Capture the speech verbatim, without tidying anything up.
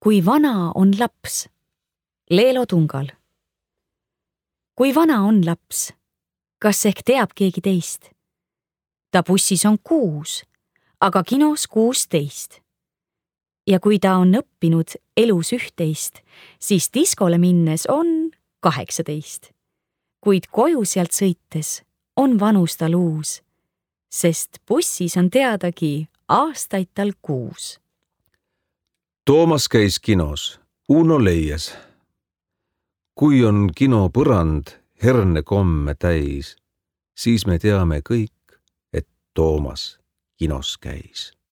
Kui vana on laps? Leelo Tungal. Kui vana on laps? Kas ehk teab keegi teist? Ta bussis on kuus, aga kinos kuusteist. Ja kui ta on õppinud elus üht-teist, siis diskole minnes on kaheksateist. Kuid koju sealt sõites on vanus tal uus, sest bussis on teadagi aastaid tal kuus. Toomas käis kinos, Uno leias. Kui on kino põrand herne komme täis, siis me teame kõik, et Toomas kinos käis.